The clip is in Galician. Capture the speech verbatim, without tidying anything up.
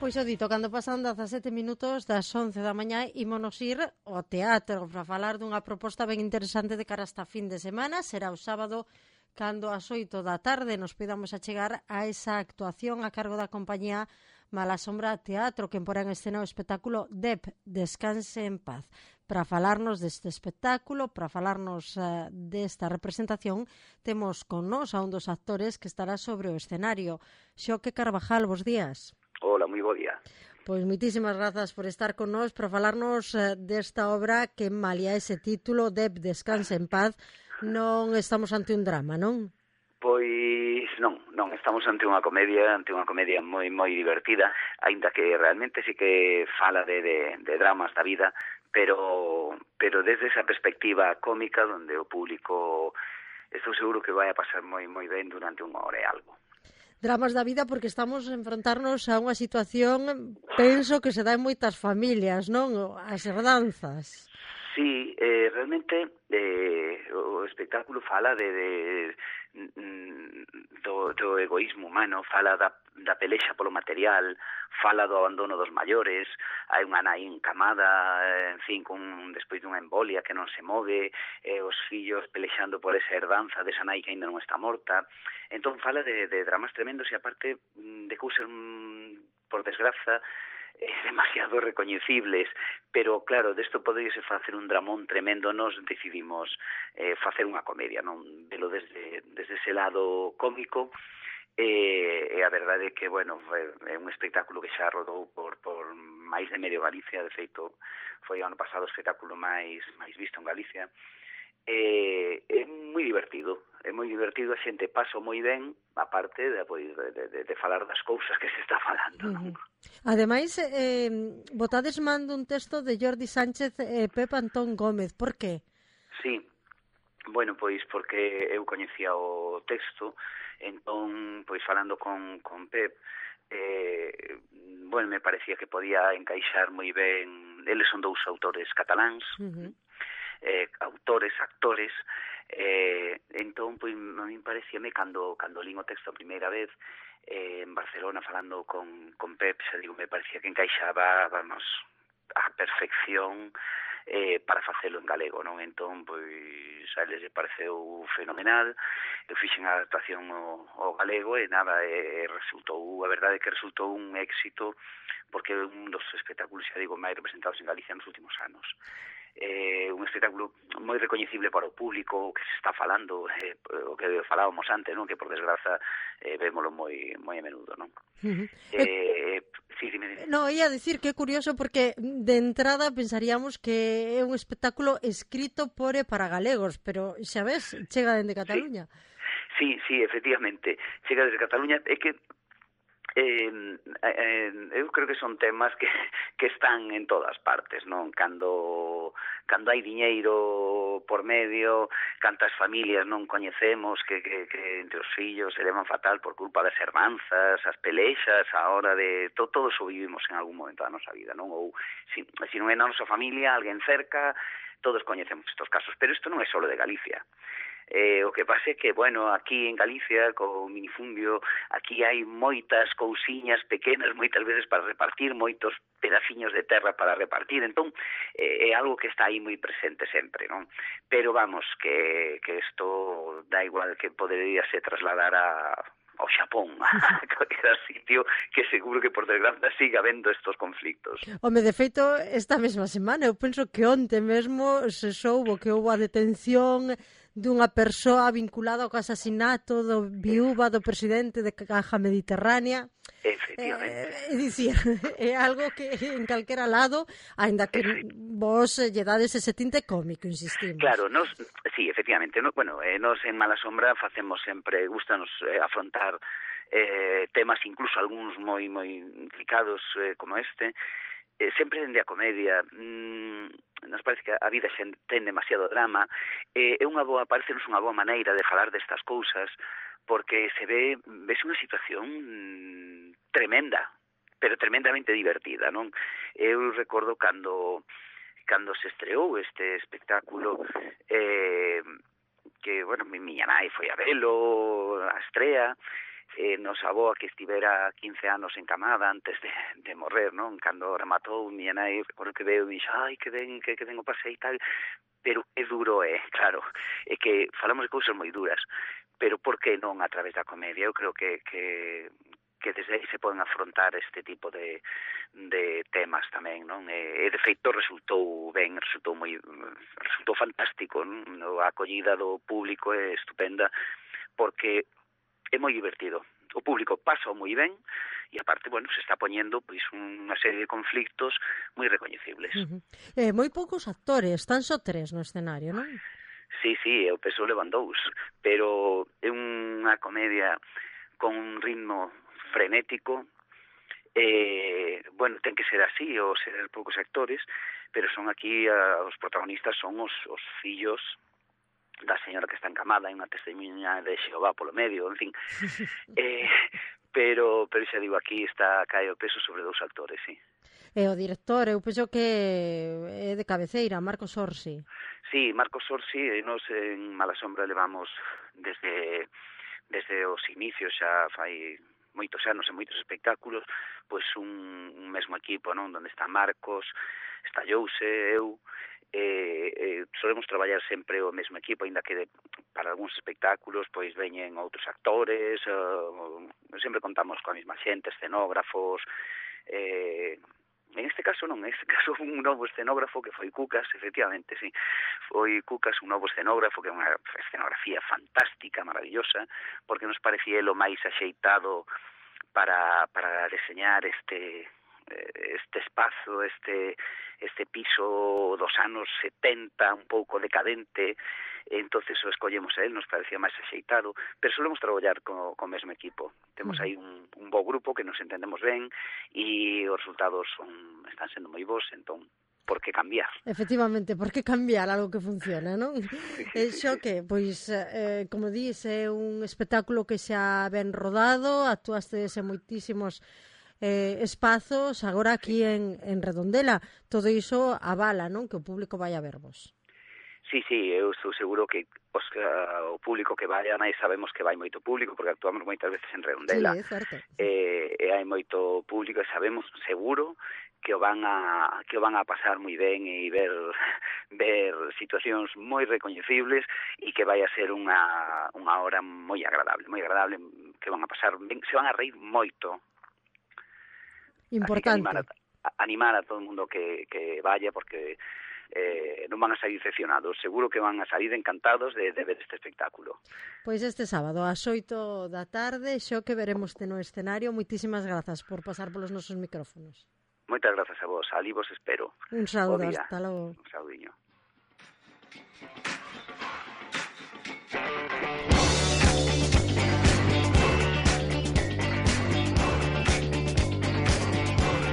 Pois o dito, cando pasan dezasete minutos das once da mañá ímonos ir ao teatro para falar dunha proposta ben interesante de cara esta fin de semana. Será o sábado cando ás oito da tarde nos podamos achegar a esa actuación a cargo da compañía Malasombra Teatro, que porá en escena o espectáculo Dep, Descanse en Paz. Para falarnos deste espectáculo, para falarnos uh, desta representación, temos con nós a un dos actores que estará sobre o escenario. Xoque Carvajal, bos días. Hola, moi bo día. Pois moitísimas grazas por estar con nós para falarnos uh, desta obra que malia ese título, Dep, Descanse en Paz. Non estamos ante un drama, non? Pois non, non, estamos ante unha comedia, ante unha comedia moi moi divertida, aínda que realmente sí que fala de, de, de dramas da vida, pero pero desde esa perspectiva cómica onde o público estou seguro que vai a pasar moi moi ben durante unha hora e algo. Dramas da vida porque estamos a enfrontarnos a unha situación, penso que se dá en moitas familias, non? As herdanzas. Sí, eh, realmente eh, o espectáculo fala de, de do, do egoísmo humano, fala da, da pelexa polo material, fala do abandono dos maiores, hai unha nai encamada, en fin, con, despois dunha embolia que non se move, eh, os fillos pelexando por esa herdanza desa nai que ainda non está morta. Entón fala de, de dramas tremendos e aparte de cousas, por desgraza, demasiado recoñecibles, pero claro, desto poderíase facer un dramón tremendo. Nos decidimos eh, facer unha comedia, non velo desde, desde ese lado cómico, e, e a verdade é que, bueno, é un espectáculo que xa rodou por, por máis de medio Galicia. De feito, foi ano pasado o espectáculo máis, máis visto en Galicia. É, é moi divertido, é moi divertido, a xente paso moi ben, aparte de, de, de, de falar das cousas que se está falando, non? Uh-huh. Ademais, eh, botades mando un texto de Jordi Sánchez e eh, Pep Antón Gómez, por qué? Sí, bueno, pois porque eu coñecía o texto, entón, pois falando con, con Pep, eh, bueno, me parecía que podía encaixar moi ben, eles son dous autores cataláns, uh-huh. Eh, autores, actores, eh, entón, pois, a mí parecíame, cando, cando lín o texto a primeira vez, eh, en Barcelona, falando con, con Pep, xa digo, me parecía que encaixaba, vamos, a perfección eh, para facelo en galego, non? Entón, pois, a eles lle pareceu fenomenal, eu fixen a adaptación ao, ao galego e nada, e, resultou, a verdade é que resultou un éxito, porque é un dos espectáculos, xa digo, máis representados en Galicia nos últimos anos. Eh, un espectáculo moi recoñecible para o público, o que se está falando, eh, o que falábamos antes, non? Que por desgraza eh, vémolo moi moi a menudo, non? Uh-huh. Eh, eh, sí, dime, dime. No, ia dicir que é curioso porque de entrada pensaríamos que é un espectáculo escrito por e para galegos, pero xa ves, chega dende Cataluña. Sí, sí, sí, efectivamente, chega desde Cataluña. É que Eh, eh, eu creo que son temas que, que están en todas partes, non? Cando, cando hai diñeiro por medio, cantas familias non coñecemos que, que, que entre os fillos se levan fatal por culpa das hermanzas, as pelexas, a hora de... To, todo eso vivimos en algún momento da nosa vida, non? Ou se si non é na nosa familia, alguén cerca, todos coñecemos estos casos, pero isto non é só de Galicia. Eh, o que pasa é que, bueno, aquí en Galicia, co minifundio, aquí hai moitas cousiñas pequenas, moitas veces para repartir, moitos pedaciños de terra para repartir, entón eh, é algo que está aí moi presente sempre, non? Pero vamos, que, que isto dá igual que podería se trasladar a... ao Xapón, a calquera sitio, que seguro que por desgracia siga habendo estos conflictos. Home, de feito, esta mesma semana, eu penso que onte mesmo se soubo que houve a detención dunha persoa vinculada ao asasinato do viúva do presidente de Caja Mediterránea. Efectivamente. É, é dicir, é algo que en calquera lado, aínda que vos lle dades ese tinte cómico, insistimos. Claro, nos, sí, efectivamente, no, bueno, eh, nos en Malasombra facemos sempre, gustanos eh, afrontar eh, temas, incluso algúns moi moi delicados eh, como este, eh, sempre dende a comedia. Mm, nos parece que a vida xa ten demasiado drama, eh, é unha boa, parecenos unha boa maneira de falar destas cousas, porque se ve, ves unha situación mm, tremenda, pero tremendamente divertida, non? Eu recordo cando cando se estreou este espectáculo, eh, que, bueno, mi miña nai foi a velo, a estrea, eh, nos avó que estivera quince anos encamada antes de, de morrer, non? Cando rematou, miña nai, recordo que veo e dixo, ai, que ben, que, que ben o pasei e tal, pero é duro, é, claro, é que falamos de cousas moi duras, pero por que non a través da comedia? Eu creo que, que, que desde aí se poden afrontar este tipo de, de temas tamén, non? E, de feito resultou ben, resultou moi resultou fantástico, non? A acollida do público é estupenda, porque é moi divertido. O público pasa moi ben e aparte, bueno, se está poñendo pois unha serie de conflictos moi recoñecibles. Uh -huh. eh, moi poucos actores, tan só tres no escenario, non? Sí, sí, eu penso levan dous, pero é unha comedia con un ritmo frenético, eh, bueno, ten que ser así, ou ser poucos actores, pero son aquí, uh, os protagonistas son os, os fillos da señora que está encamada, hai unha testemunha de Xehová polo medio, en fin. eh, pero, pero xa digo, aquí está cae o peso sobre dous actores, sí. E o director, eu penso que é de cabeceira, Marcos Orsi. Sí, Marcos Orsi, e nos en Mala Sombra levamos desde, desde os inicios, xa fai moitos anos e moitos espectáculos, pois un, un mesmo equipo, non? Donde está Marcos, está Jouse, eu, eh, eh, solemos traballar sempre o mesmo equipo, ainda que de, para algúns espectáculos pois veñen outros actores, eh, sempre contamos coa mesma xente, escenógrafos, eh, en este caso non, en este caso un novo escenógrafo que foi Cucas, efectivamente, sí, foi Cucas, un novo escenógrafo que é unha escenografía fantástica, maravillosa, porque nos parecía lo máis axeitado para, para deseñar este este espazo, este este piso dos anos setenta, un pouco decadente, entonces o escollemos a él, nos parecía máis axeitado, pero solemos traballar co, co mesmo equipo. Temos aí un, un bo grupo que nos entendemos ben e os resultados son, están sendo moi bons, entón, por que cambiar? Efectivamente, por que cambiar algo que funciona, non? Sí, E sí, xo sí. que, pois, eh, como dís, é un espectáculo que xa ben rodado, actuaste en moitísimos eh, espazos, agora aquí en, en Redondela, todo iso avala, non? Que o público vai a vervos. Sí, sí, eu estou seguro que os, uh, o público que vai, nai sabemos que vai moito público, porque actuamos moitas veces en Redondela. Sí, é certo. Eh, e hai moito público e sabemos seguro que o van a que o van a pasar moi ben e ver ver situacións moi recoñecibles e que vai a ser unha unha hora moi agradable, moi agradable, que van a pasar ben, se van a reír moito. Importante. Animar a, animar a todo o mundo que, que vaya, porque eh, non van a salir decepcionados, seguro que van a salir encantados de, de ver este espectáculo. Pois este sábado ás oito da tarde, xo que veremos no escenario. Moitísimas grazas por pasar polos nosos micrófonos. Moitas grazas a vos, ali vos espero. Un saúdo, hasta logo. Un saudiño.